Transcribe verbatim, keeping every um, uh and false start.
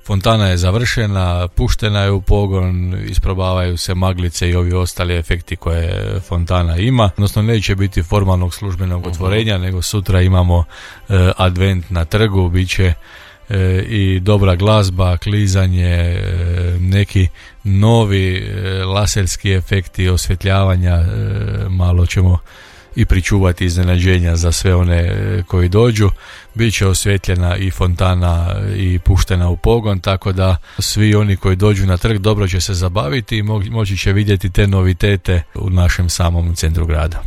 Fontana je završena, puštena je u pogon, isprobavaju se maglice i ovi ostali efekti koje fontana ima. Odnosno neće biti formalnog službenog otvorenja, nego sutra imamo e, advent na trgu, bit će e, i dobra glazba, klizanje, e, neki novi e, laserski efekti osvjetljavanja, e, malo ćemo i pričuvati iznenađenja za sve one koji dođu. Biće osvjetljena i fontana i puštena u pogon, tako da svi oni koji dođu na trg dobro će se zabaviti i moći će vidjeti te novitete u našem samom centru grada.